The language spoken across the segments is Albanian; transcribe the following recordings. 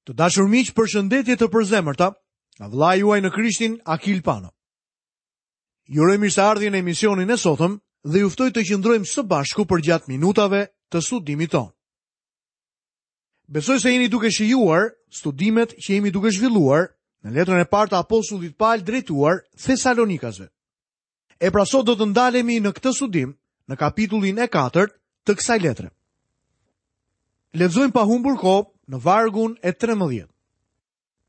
Të dashur miq, përshëndetje të përzemërta nga vëllai juaj në Krishtin Akil Pano. Ju uroj mirëseardhje në emisionin e sotëm dhe ju ftoj të qëndrojmë së bashku përgjatë minutave të studimit tonë. Besoj se jeni duke shijuar studimet që jemi duke zhvilluar në letrën e parë të apostullit Pal drejtuar Thesalonikasve. E pra sot do të ndalemi në këtë studim në kapitullin e katërt të kësaj letre. Lexojmë pa humbur kohë në vargun e 13.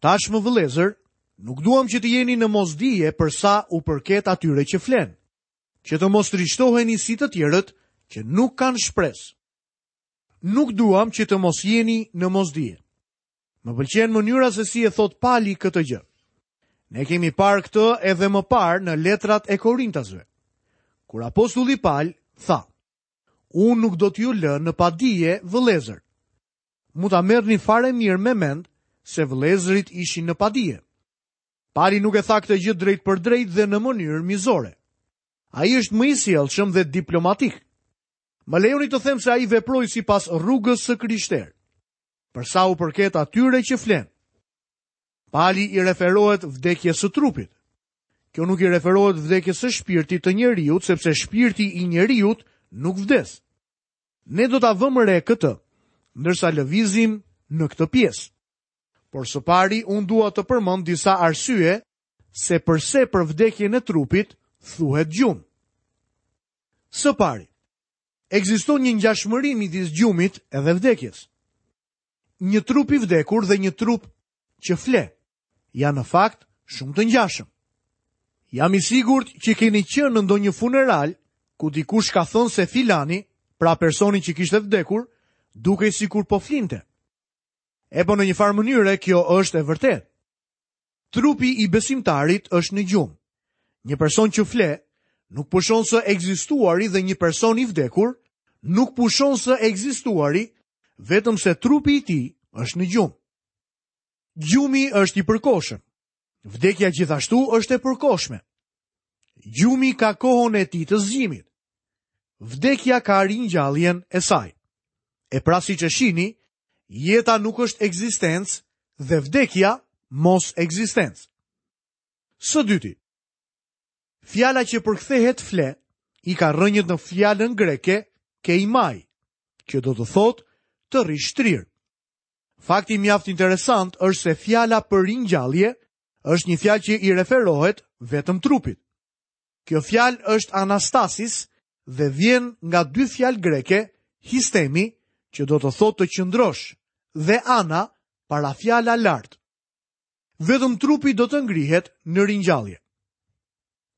Tashmë vëllezër, nuk duam që të jeni në mosdije për sa u përket atyre që flenë, që të mos trishtoheni si të tjerët që nuk kanë shpresë. Nuk duam që të mos jeni në mosdije. Më pëlqen mënyra se si e thotë Pali këtë gjë. Ne kemi parë këtë edhe më parë në letrat e Korintasve. Kur apostulli Pal tha: Unë nuk do t'ju lë në padije, vëllezër. Mund ta merrni fare mirë me mend se vëllezërit ishin në padije. Pali nuk e tha këtë gjë drejtpërdrejt dhe në mënyrë mizore. Ai është më i sjellshëm dhe diplomatik. Më lejoni të them se ai veproi sipas rrugës së krishterë. Për sa u përket atyre që flenë. Pali i referohet vdekjes së trupit. Kjo nuk i referohet vdekjes së shpirtit të njeriut, sepse shpirti i njeriut nuk vdes. Ne do ta vëmë re këtë, ndërsa lëvizim në këtë pjesë. Por së pari unë dua të përmend disa arsye se përse për vdekjen e trupit thuhet gjumë. Së pari, ekziston një ngjashmëri midis gjumit edhe vdekjes. Një trup i vdekur dhe një trup që fle janë në fakt shumë të ngjashëm. Jam i sigurt që keni qenë në ndonjë funeral ku dikush ka thënë se filani, pra personi që kishte vdekur, dukej sikur po flinte. E po në një farë mënyre kjo është e vërtetë. Trupi i besimtarit është në gjumë. Një person që fle nuk pushon së ekzistuari dhe një person i vdekur nuk pushon së ekzistuari vetëm se trupi i tij është në gjumë. Gjumi është i përkohshëm. Vdekja gjithashtu është e përkohshme. Gjumi ka kohën e tij të zgjimit. Vdekja ka ringjalljen e saj. E pra siç e shihni, jeta nuk është ekzistencë dhe vdekja mosekzistencë. Së dyti, fjala që përkthehet fle i ka rrënjët në fjalën greke keimai, që do të thotë të rrish shtrirë. Fakti mjaft interesant është se fjala për ringjallje është një fjalë që i referohet vetëm trupit. Kjo fjalë është anastasis dhe vjen nga dy fjalë greke, histemi, që do të thotë të qëndrosh, dhe ana, parafjala lart. Vetëm trupi do të ngrihet në ringjallje.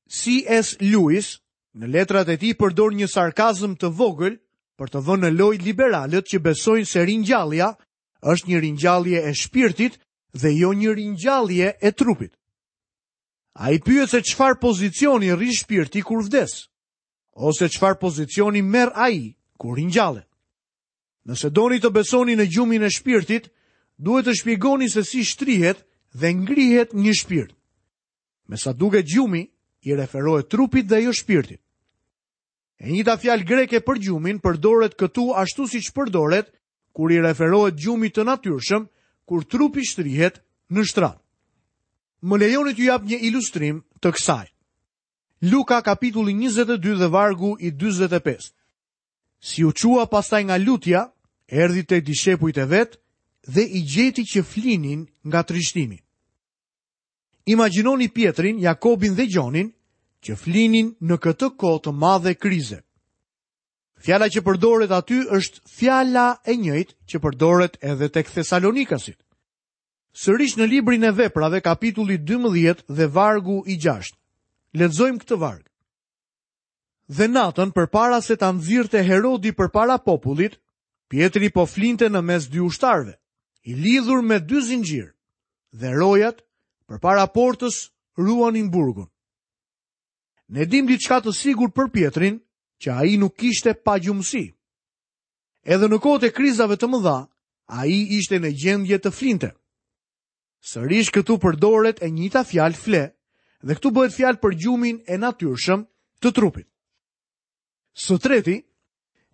C.S. Lewis në letrat e tij përdor një sarkazëm të vogël për të vënë në lojë liberalët që besojnë se ringjallja është një ringjallje e shpirtit dhe jo një ringjallje e trupit. Ai pyet se çfarë pozicioni rri shpirti kur vdes, ose çfarë pozicioni merr ai kur ringjallet. Nëse doni të besoni në gjumin e shpirtit, duhet të shpjegoni se si shtrihet dhe ngrihet një shpirt. Me sa duket gjumi i referohet trupit dhe jo shpirtit. E njëjta fjalë greke për gjumin përdoret këtu ashtu siç përdoret kur i referohet gjumit të natyrshëm kur trupi shtrihet në shtrat. Më lejoni t'ju jap një ilustrim të kësaj. Luka kapitulli 22 dhe vargu i 45. Si u çua pastaj nga lutja, erdhi te dishepujt e vet dhe i gjeti që flinin nga trishtimi. Imagjinoni Pjetrin, Jakobin dhe Gjonin që flinin në këtë kohë të madhe krize. Fjala që përdoret aty është fjala e njëjtë që përdoret edhe tek Thesalonikasit. Sërish në librin e Veprave, kapitulli 12 dhe vargu i 6. Lexojmë këtë varg. Dhe natën përpara se ta nxirrte Herodi përpara popullit, Pjetri po flinte në mes dy ushtarëve, i lidhur me dy zinxhirë, dhe rojat përpara portës ruanin burgun. Ne dimë diçka të sigurt për Pjetrin, që ai nuk kishte pagjumësi. Edhe në kohët e krizave të mëdha, ai ishte në gjendje të flinte. Sërish këtu përdoret e njëjta fjalë fle dhe këtu bëhet fjalë për gjumin e natyrshëm të trupit. Së treti,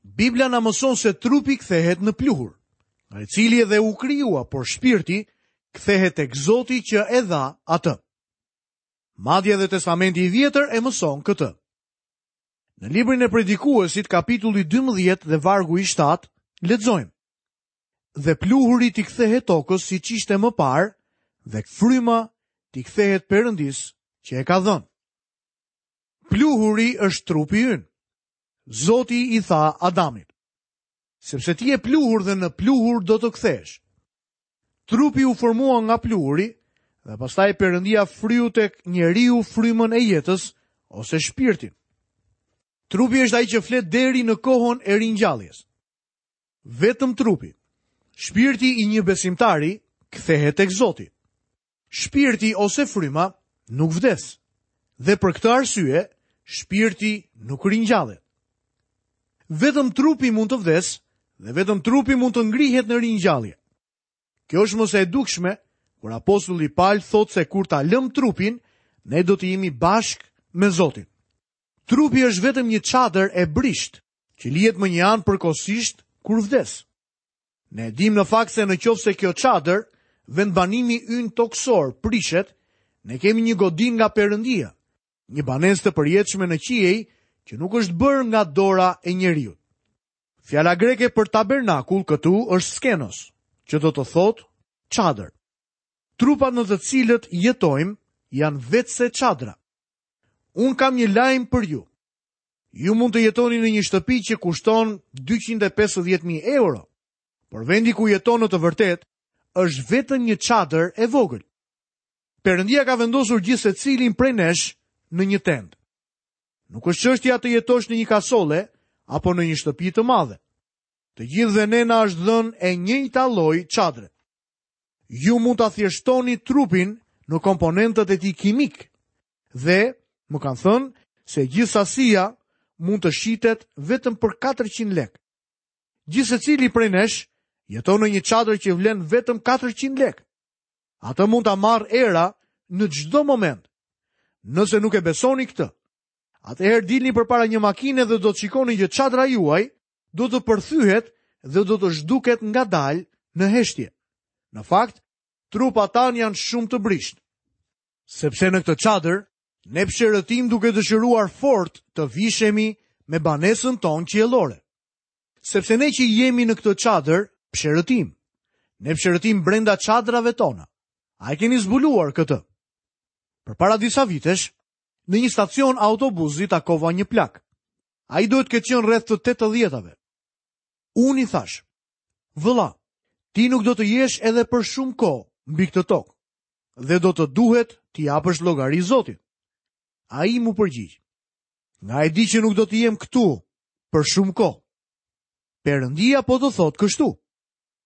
Bibla na mëson se trupi kthehet në pluhur. nga i cili edhe u krijua, por shpirti kthehet tek Zoti që e dha atë. Madje edhe Testamenti i Vjetër e mëson këtë. Në librin e Predikuesit, kapitulli 12 dhe vargu i 7, lexojmë. Dhe pluhuri t'i kthehet tokës siç ishte më parë dhe fryma t'i kthehet Perëndisë që e ka dhënë. Pluhuri është trupi ynë. Zoti i tha Adamit, sepse ti je pluhur dhe në pluhur do të kthehesh. Trupi u formua nga pluhuri dhe pastaj Perëndia fryu tek njeriu frymën e jetës ose shpirtin. Trupi është ai që flet deri në kohën e ringjalljes. Vetëm trupi. Shpirti i një besimtari kthehet tek Zoti. Shpirti ose fryma nuk vdes. Dhe për këtë arsye, shpirti nuk ringjallet. Vetëm trupi mund të vdesë dhe vetëm trupi mund të ngrihet në ringjallje. Kjo është më se e dukshme kur apostulli Pal thotë se kur ta lëmë trupin, ne do të jemi bashkë me Zotin. Trupi është vetëm një çadër e brishtë që lihet mënjanë përkohësisht kur vdes. Ne e dimë në fakt se në qoftë se kjo çadër, vendbanimi ynë tokësor, prishet, ne kemi një godinë nga Perëndia, një banesë të përjetshme në qiej që nuk është bërë nga dora e njeriut. Fjala greke për tabernakull këtu është skenos, që do të thotë çadër. Trupat në të cilët jetojmë janë veçse çadra. Unë kam një lajm për ju. Ju mund të jetoni në një shtëpi që kushton 250.000 euro, por vendi ku jeton në të vërtetë është vetëm një çadër e vogël. Perëndia ka vendosur gjithsecilin prej nesh në një tendë. Nuk është çështja të jetosh në një kasolle apo në një shtëpi të madhe. Të gjithëve ne na është dhënë e njëjta lloj çadre. Ju mund ta thjeshtoni trupin në komponentët e tij kimikë dhe më kanë thënë se gjithë sasia mund të shitet vetëm për 400 lekë. Gjithsecili prej nesh jeton në një çadër që vlen vetëm 400 lekë. Atë mund ta marrë era në çdo moment. Nëse nuk e besoni këtë, atëherë dilni përpara një makine dhe do të shikoni që çadra juaj do të përthyhet dhe do të zhduket ngadalë në heshtje. Në fakt, trupat tanë janë shumë të brishtë. Sepse në këtë çadër, ne psherëtijmë duke dëshiruar fort të vishemi me banesën tonë qiellore. Sepse ne që jemi në këtë çadër, psherëtijmë. Ne psherëtijmë brenda çadrave tona. A e keni zbuluar këtë? Përpara disa vitesh, në një stacion autobuzi takova një plak. Ai duhet të ketë qenë rreth të 80-tave. Unë i thashë, vëlla, ti nuk do të jesh edhe për shumë kohë mbi këtë tokë dhe do të duhet t'i japësh llogari Zotit. Ai m'u përgjigj, nga e di që nuk do të jem këtu për shumë kohë. Perëndia po të thotë kështu.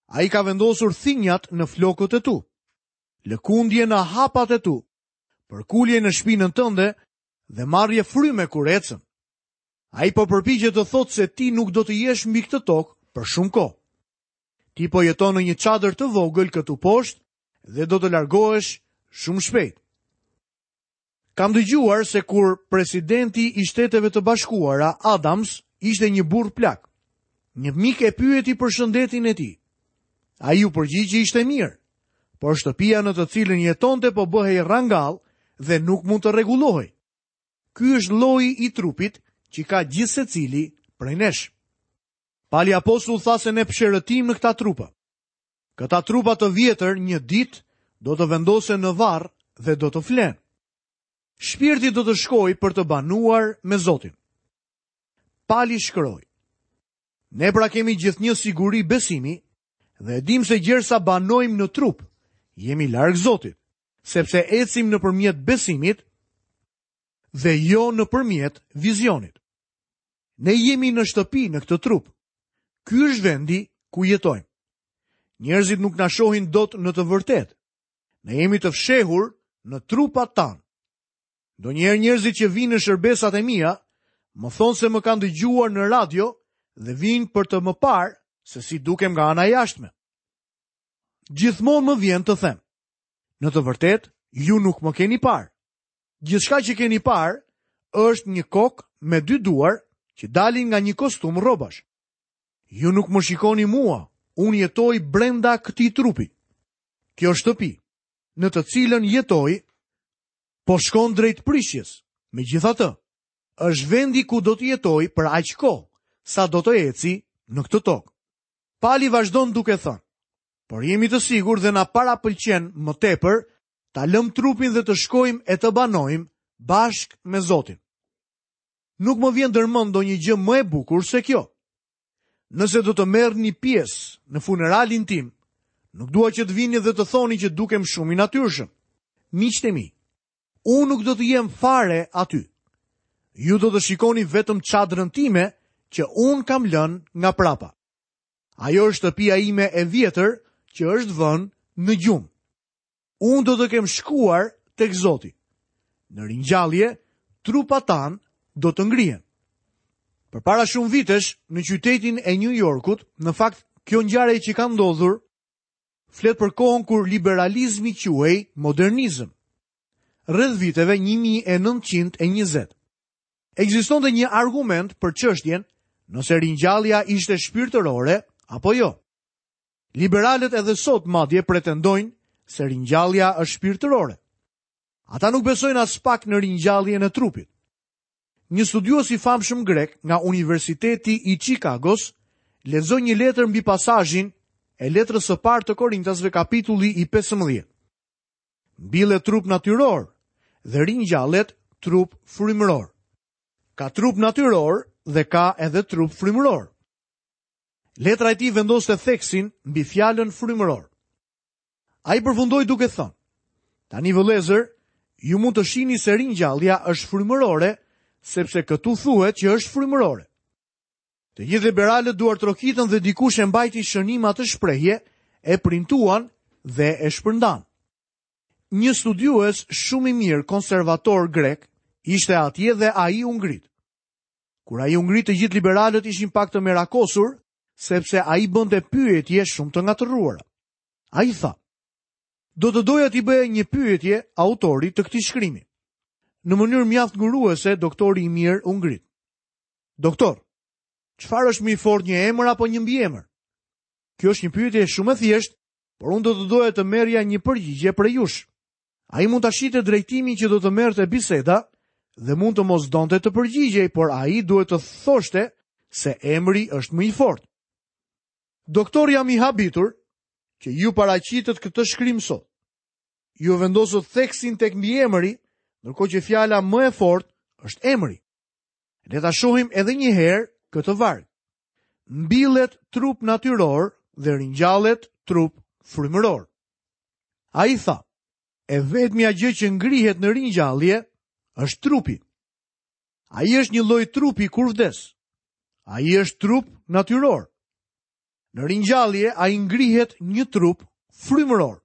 Ai ka vendosur thinjat në flokët e tu, lëkundje në hapat e tu, përkulje në shpinën tënde dhe marrje fryme kur ecën. Ai po përpiqet të thotë se ti nuk do të jesh mbi këtë tokë për shumë kohë. Ti po jeton në një çadër të vogël këtu poshtë dhe do të largohesh shumë shpejt. Kam dëgjuar se kur presidenti i Shteteve të Bashkuara, Adams, ishte një burrë plak. Një mik e pyeti për shëndetin e tij. Ai u përgjigj që ishte mirë, por shtëpia në të cilën jetonte po bëhej rrangall dhe nuk mund të rregullohej. Ky është lloji i trupit që ka gjithsecili prej nesh. Pali apostull tha se ne psherëtijmë në këta trupa. Këta trupa të vjetër një ditë do të vendosen në varr dhe do të flenë. Shpirti do të shkojë për të banuar me Zotin. Pali shkroi. Ne pra kemi gjithnjë siguri besimi dhe e dimë se gjersa banojmë në trup, jemi larg Zotit, sepse ecim nëpërmjet besimit dhe jo nëpërmjet vizionit. Ne jemi në shtëpi në këtë trup. Ky është vendi ku jetojmë. Njerëzit nuk na shohin dot në të vërtetë. Ne jemi të fshehur në trupat tanë. Ndonjëherë njerëzit që vijnë në shërbesat e mia, më thonë se më kanë dëgjuar në radio dhe vijnë për të më parë se si dukem nga ana e jashtme. Gjithmonë më vjen të them, në të vërtetë, ju nuk më keni parë. Gjithçka që keni parë është një kokë me dy duar që dalin nga një kostum rrobash. Ju nuk më shikoni mua. Unë jetoj brenda këtij trupi. Kjo shtëpi, në të cilën jetoj, po shkon drejt prishjes. Megjithatë, është vendi ku do të jetoj për aq kohë, sa do të eci në këtë tokë. Pali vazhdon duke thënë, por jemi të sigurt dhe na parapëlqen më tepër ta lëmë trupin dhe të shkojmë e të banojmë bashkë me Zotin. Nuk më vjen ndërmend ndonjë gjë më e bukur se kjo. Nëse do të merrni pjesë në funeralin tim, nuk dua që të vini dhe të thoni që dukem shumë i natyrshëm. Miqtë e mi, unë nuk do të jem fare aty. Ju do të shikoni vetëm çadrën time që unë kam lënë nga prapa. Ajo është shtëpia ime e vjetër që është vënë në gjumë. Unë do të kem shkuar tek Zoti. Në ringjallje, trupat tanë do të ngrihen. Përpara shumë vitesh, në qytetin e New Yorkut, në fakt, kjo ngjarje që ka ndodhur, flet për kohën kur liberalizmi quhej modernizëm. Rreth viteve 1920. Ekzistonte një argument për çështjen nëse ringjallja ishte shpirtërore apo jo. Liberalët edhe sot madje pretendojnë se ringjallja është shpirtërore. Ata nuk besojnë aspak në ringjalljen e trupit. Një studiues i famshëm grek nga Universiteti i Chicagos lexoi një letër mbi pasazhin e letrës së parë të Korintasve kapitulli i 15. Mbillet trup natyror dhe ringjallet trup frymëror. Ka trup natyror dhe ka edhe trup frymëror. Letra e tij vendoste theksin mbi fjalën frymëror. Ai përfundoi duke thënë: Tani vëllezër, ju mund të shihni se ringjallja është frymërore, sepse këtu thuhet që është frymërore. Të gjithë liberalët duartrokitën dhe dikush e mbajti shënim atë shprehje, e printuan dhe e shpërndanë. Një studiues shumë i mirë konservator grek ishte atje dhe ai u ngrit. Kur ai u ngrit të gjithë liberalët ishin pak të merakosur, sepse ai bënte pyetje shumë të ngatërruara. Ai tha, do të doja t'i bëja një pyetje autorit të këtij shkrimi. Në mënyrë mjaft nguruese, doktori i mirë u ngrit. Doktor, çfarë është më i fortë një emër apo një mbiemër? Kjo është një pyetje shumë e thjeshtë, por unë do të doja të merrja një përgjigje prej jush. Ai mund ta shihte drejtimin që do të merrte biseda dhe mund të mos donte të përgjigjej, por ai duhet të thoshte se emri është më i fortë. Doktor, jam i habitur që ju paraqitët këtë shkrim sot. Ju vendosët theksin tek mbiemri, ndërkohë që fjala më e fortë është emri. Le ta shohim edhe një herë këtë varg. Mbillet trup natyror dhe ringjallet trup frymëror. Ai tha, e vetmja gjë që ngrihet në ringjallje është trupi. Ai është një lloj trupi kur vdes. Ai është trup natyror. Në ringjallje ai ngrihet një trup frymëror.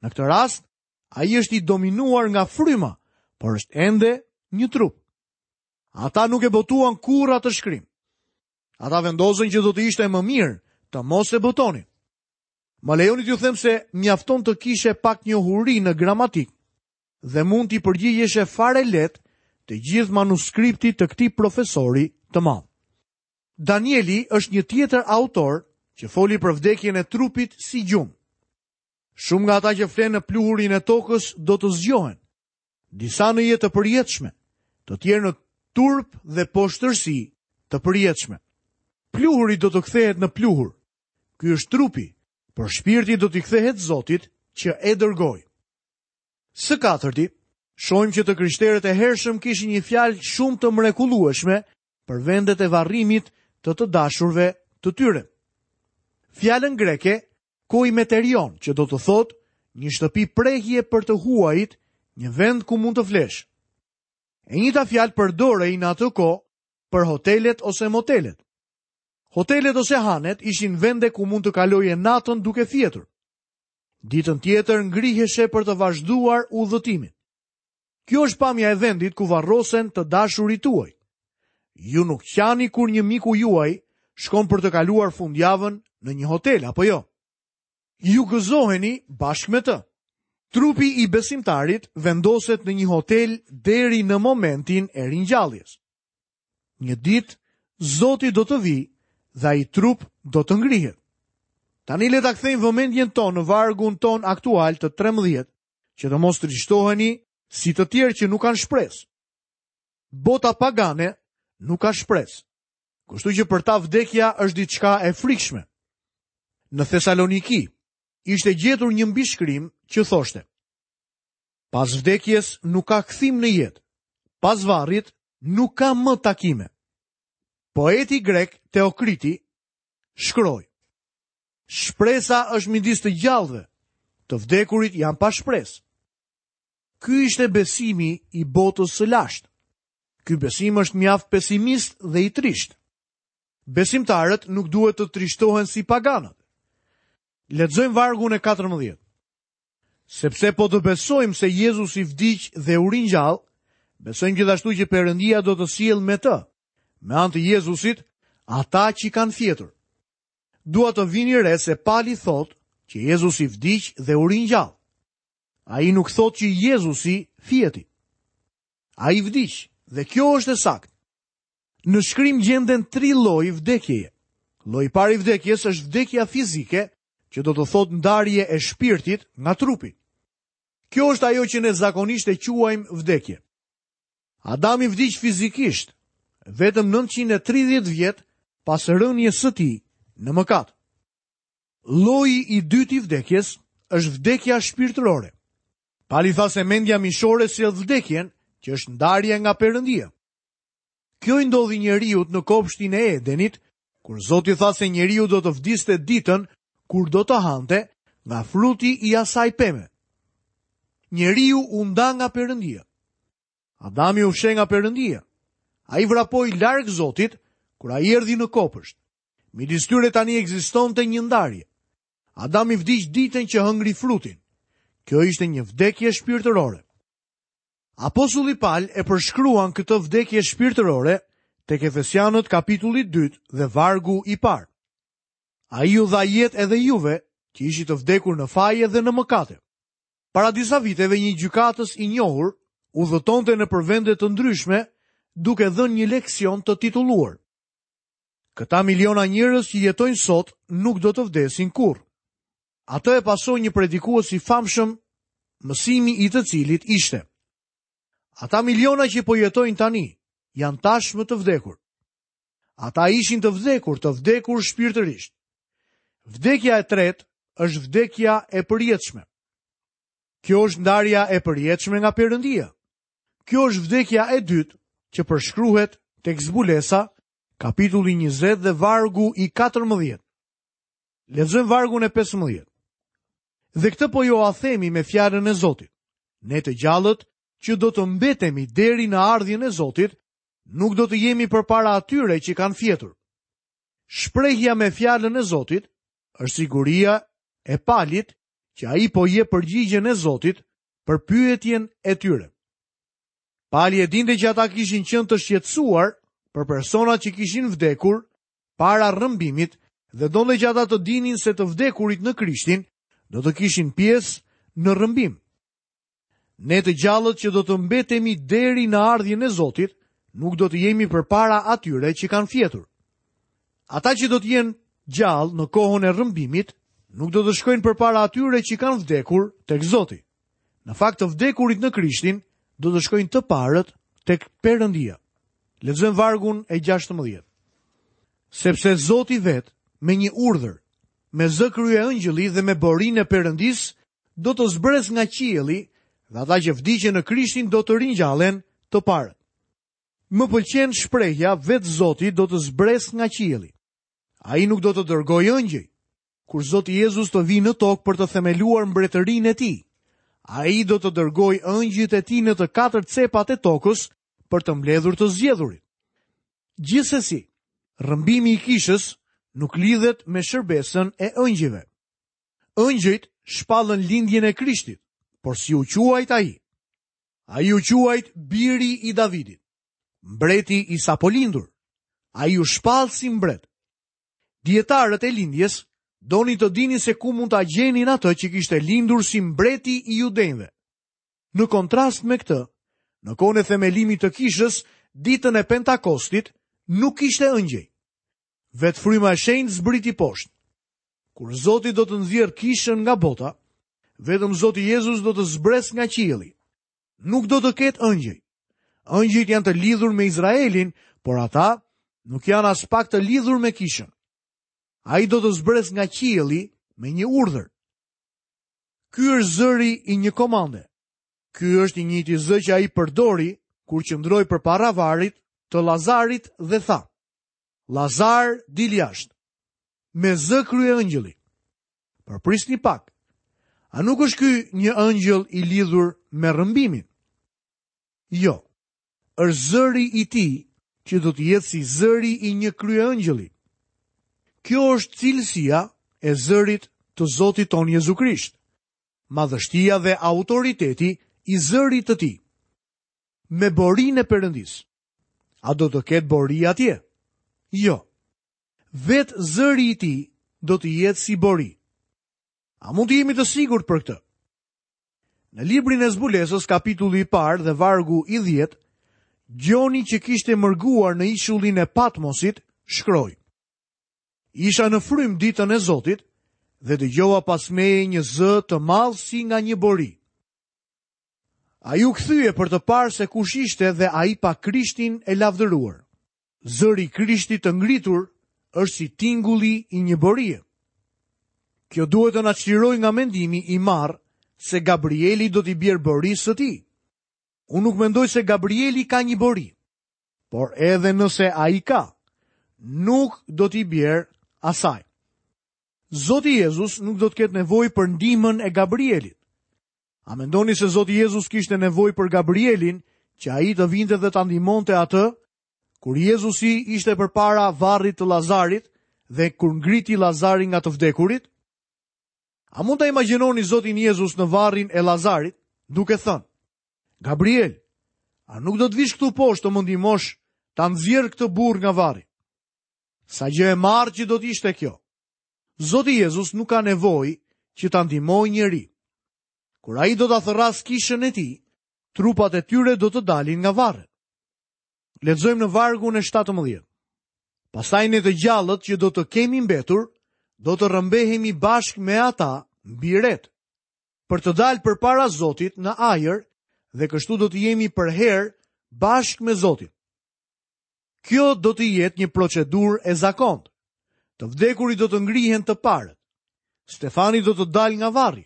Në këtë rast, ai është i dominuar nga fryma, por është ende një trup. Ata nuk e botuan kurrë atë shkrim. Ata vendosën që do të ishte më mirë të mos e botonin. Më lejoni t'ju them se mjafton të kishe pak njohuri në gramatikë dhe mund t'i përgjigjeshe fare lehtë të gjithë manuskriptit të këtij profesori të madh. Danieli është një tjetër autor që foli për vdekjen e trupit si gjumë. Shumë nga ata që flenë në pluhurin e tokës do të zgjohen. Disa në jetë të përjetshme, të tjerë në turp dhe poshtërsi të përjetshme. Pluhuri do të kthehet në pluhur, Ky është trupi, por shpirti do t'i kthehet Zotit që e dërgoi. Së katërti, shohim që të krishterët e hershëm kishin një fjalë shumë të mrekullueshme për vendet e varrimit të të dashurve të tyre. Fjalën greke koimeterion, që do të thotë një shtëpi prehje për të huajit, një vend ku mund të flesh. E njëjta fjalë përdorej në atë kohë për hotelet ose motelet. Hotelet ose hanet ishin vende ku mund të kaloje natën duke fjetur. Ditën tjetër ngriheshe për të vazhduar udhëtimin. Kjo është pamja e vendit ku varrosen të dashurit tuaj. Ju nuk qani kur një miku juaj shkon për të kaluar fundjavën në një hotel, apo jo? Ju gëzoheni bashkë me të. Trupi i besimtarit vendoset në një hotel deri në momentin e ringjalljes. Një ditë, Zoti do të vijë dhe ai trup do të ngrihet. Tani le ta kthejmë vëmendjen tonë në vargun tonë aktual të 13, që të mos trishtoheni si të tjerë që nuk kanë shpresë. Bota pagane nuk ka shpresë. Kështu që për ta vdekja është diçka e frikshme. Në Thesaloniki ishte gjetur një mbishkrim që thoshte: Pas vdekjes nuk ka kthim në jetë. Pas varrit nuk ka më takime. Poeti grek Teokriti shkroi: Shpresa është midis të gjallëve, të vdekurit janë pa shpresë. Ky ishte besimi i botës së lashtë. Ky besim është mjaft pesimist dhe i trishtë. Besimtarët nuk duhet të trishtohen si paganët. Lexojmë vargun e 14. Sepse po të besojmë se Jezusi vdiq dhe u ringjall, besojmë gjithashtu që Perëndia do të sjellë me të, me anë të Jezusit, ata që kanë fjetur. Dua të vini re se Pali thotë që Jezusi vdiq dhe u ringjall. Ai nuk thotë që Jezusi fjeti. Ai vdiq dhe kjo është e saktë. Në shkrim gjenden tri lloj vdekjeje. Lloji i parë i vdekjes është vdekja fizike, që do të thotë ndarje e shpirtit nga trupi. Kjo është ajo që ne zakonisht e quajmë vdekje. Adami vdiq fizikisht, vetëm 930 vjet pas rënies së tij në mëkat. Lloji i dytë i vdekjes është vdekja shpirtërore. Pali tha se mendja mishore sjell vdekjen, që është ndarja nga Perëndia. Kjo i ndodhi njeriut në kopshtin e Edenit, kur Zoti tha se njeriu do të vdiste ditën kur do të hante nga fruti i asaj peme. Njeriu u nda nga Perëndia. Adami u fsheh nga Perëndia. Ai vrapoi larg Zotit kur ai erdhi në kopësht. Midis tyre tani ekzistonte një ndarje. Adami vdiq ditën që hëngri frutin. Kjo ishte një vdekje shpirtërore. Apostulli Pal e përshkruan këtë vdekje shpirtërore tek Efesianët kapitulli 2 dhe vargu i parë. Ai ju dha jetë edhe juve, që ishit të vdekur në faje dhe në mëkate. Para disa viteve një gjykatës i njohur udhëtonte nëpër vende të ndryshme duke dhënë një leksion të titulluar. Këta miliona njerëz që jetojnë sot nuk do të vdesin kurrë. Atë e pasoi një predikues i famshëm, mësimi i të cilit ishte. Ata miliona që po jetojnë tani janë tashmë të vdekur. Ata ishin të vdekur, të vdekur shpirtërisht. Vdekja e tretë është vdekja e përjetshme. Kjo është ndarja e përjetshme nga Perëndia. Kjo është vdekja e dytë që përshkruhet tek Zbulesa, kapitulli 20 dhe vargu i 14. Lexojmë vargun e 15. Dhe këtë po jua themi me fjalën e Zotit. Ne të gjallët që do të mbetemi deri në ardhjen e Zotit, nuk do të jemi përpara atyre që kanë fjetur. Shprehja me fjalën e Zotit është siguria e Palit që ai po jep përgjigjen e Zotit për pyetjen e tyre. Pali e dinte që ata kishin qenë të shqetësuar për personat që kishin vdekur para rrëmbimit dhe donte që ata të dinin se të vdekurit në Krishtin do të kishin pjesë në rrëmbim. Ne të gjallët që do të mbetemi deri në ardhjen e Zotit, nuk do të jemi përpara atyre që kanë fjetur. Ata që do të jenë gjallë në kohën e rrëmbimit, nuk do të shkojnë përpara atyre që kanë vdekur tek Zoti. Në fakt të vdekurit në Krishtin do të shkojnë të parët tek Perëndia. Lexojmë vargun e 16. Sepse Zoti vetë me një urdhër, me zë kryeëngjëlli dhe me borinë e Perëndisë do të zbresë nga qielli dhe ata që vdiqën në Krishtin do të ringjallen të parët. Më pëlqen shprehja vetë Zoti do të zbresë nga qielli. Ai nuk do të dërgojë ëngjëj. Kur Zoti Jezus të vijë në tokë për të themeluar mbretërinë e tij, ai do të dërgojë ëngjëjt e tij në të katër cepat e tokës për të mbledhur të zgjedhurit. Gjithsesi, rrëmbimi i kishës nuk lidhet me shërbesën e ëngjëjve. Ëngjëjt shpallën lindjen e Krishtit, por si u quajt ai? Ai u quajt biri i Davidit, mbreti i sapolindur. Ai u shpall si mbret. Dijetarët e lindjes donin të dinin se ku mund ta gjenin atë që kishte lindur si mbreti i judenjve. Në kontrast me këtë, në kohën e themelimit të kishës, ditën e Pentakostit, nuk kishte ëngjëj. Vetë fryma e shenjtë zbriti poshtë. Kur Zoti do të nxjerrë kishën nga bota, vetëm Zoti Jezus do të zbresë nga qielli. Nuk do të ketë ëngjëj. Ëngjëjt janë të lidhur me Izraelin, por ata nuk janë aspak të lidhur me kishën. Ai do të zbresë nga qielli me një urdhër. Ky është zëri i një komande. Ky është i njëjti zë që ai përdori kur qëndroi përpara varrit të Lazarit dhe tha: Lazar, dil jashtë. Me zë kryeëngjëlli. Por prisni pak. A nuk është ky një ëngjëll i lidhur me rrëmbimin? Jo. Është zëri i tij që do të jetë si zëri i një kryeëngjëlli. Kjo është cilësia e zërit të Zotit tonë Jezu Krisht. Madhështia dhe autoriteti i zërit të tij. Me borinë e Perëndisë. A do të ketë bori atje? Jo. Vetë zëri i tij do të jetë si bori. A mund të jemi të sigurt për këtë? Në librin e zbulesës, kapitulli i parë dhe vargu i 10, Gjoni që kishte mërguar në ishullin e Patmosit, shkroi. Isha në frymë ditën e Zotit dhe dëgjova pas meje një zë të madh si nga një bori. Ai u kthye për të parë se kush ishte dhe ai pa Krishtin e lavdëruar. Zëri i Krishtit të ngritur është si tingulli i një borie. Kjo duhet të na çlirojë nga mendimi i marrë se Gabrieli do t'i bjerë borisë së tij. Unë nuk mendoj se Gabrieli ka një bori, por edhe nëse ai ka, nuk do t'i bjerë asaj. Zoti Jezus nuk do të ketë nevojë për ndihmën e Gabrielit. A mendoni se Zoti Jezus kishte nevojë për Gabrielin që ai të vinte dhe ta ndihmonte atë kur Jezusi ishte përpara varrit të Lazarit dhe kur ngriti Lazarin nga të vdekurit? A mund ta imagjinoni Zotin Jezus në varrin e Lazarit duke thënë: Gabriel, a nuk do të vish këtu poshtë të më ndihmosh ta nxjerr këtë burrë nga varri? Sa gjë e marrë që do të ishte kjo. Zoti Jezus nuk ka nevojë që ta ndihmojë njeri. Kur ai do ta thërrasë kishën e tij, trupat e tyre do të dalin nga varret. Lexojmë në vargun e 17. Pastaj ne të gjallët që do të kemi mbetur, do të rrëmbehemi bashkë me ata mbi retë, për të dalë përpara Zotit në ajër dhe kështu do të jemi përherë bashkë me Zotin. Kjo do të jetë një procedurë e zakontë. Të vdekurit do të ngrihen të parët. Stefani do të dalë nga varri.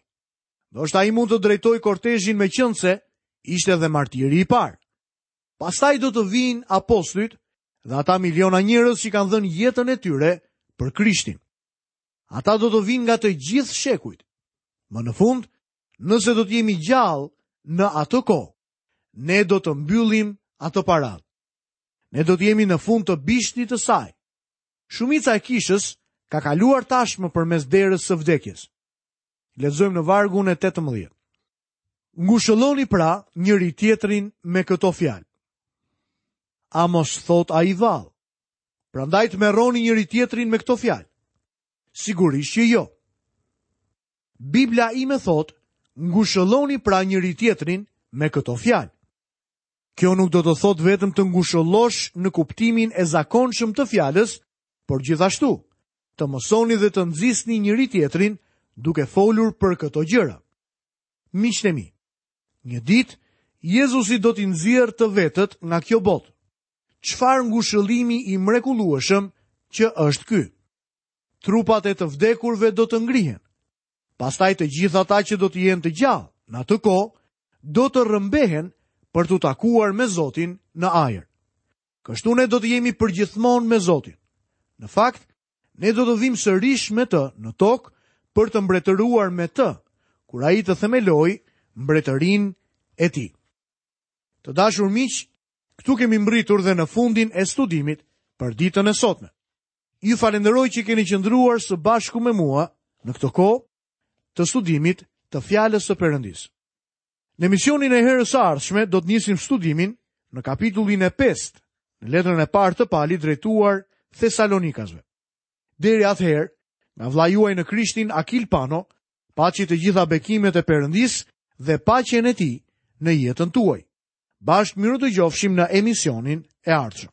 Ndoshta ai mund të drejtojë kortezhin meqenëse ishte dhe martiri i parë. Pastaj do të vijnë apostujt dhe ata miliona njerëz që kanë dhënë jetën e tyre për Krishtin. Ata do të vijnë nga të gjithë shekujt. Më në fund, nëse do të jemi gjallë në atë kohë, ne do të mbyllim atë paradë. Ne do të jemi në fund të bishtit të saj. Shumica e kishës ka kaluar tashmë përmes derës së vdekjes. Lexojmë në vargun e 18. Ngushëlloni pra njëri-tjetrin me këto fjalë. A mos thotë ai vallë? Prandaj tmerroni njëri-tjetrin me këto fjalë. Sigurisht që jo. Bibla ime thotë, ngushëlloni pra njëri-tjetrin me këto fjalë. Kjo nuk do të thotë vetëm të ngushëllosh në kuptimin e zakonshëm të fjalës, por gjithashtu të mësoni dhe të nxisni njëri-tjetrin duke folur për këto gjëra. Miqtë e mi, një ditë Jezusi do t'i nxjerrë të vetët nga kjo botë. Çfarë ngushëllimi i mrekullueshëm që është ky? Trupat e të vdekurve do të ngrihen. Pastaj të gjithë ata që do të jenë të gjallë në atë kohë do të rrëmbehen për t'u takuar me Zotin në ajër. Kështu ne do të jemi përgjithmonë me Zotin. Në fakt, ne do të vijmë sërish me të në tokë për të mbretëruar me të, kur ai të themelojë mbretërinë e tij. Të dashur miq, këtu kemi mbërritur dhe në fundin e studimit për ditën e sotme. Ju falënderoj që keni qëndruar së bashku me mua në këtë kohë të studimit të fjalës së Perëndisë. Në emisionin e herës së ardhshme do të nisim studimin në kapitullin e 5, në letrën e parë të Palit drejtuar Thesalonikasve. Deri atëherë, nga vëllai juaj në Krishtin Akil Pano, paçi të gjitha bekimet e Perëndisë dhe paqen e tij në jetën tuaj. Bashkë mirudëgjofshim në emisionin e ardhshëm.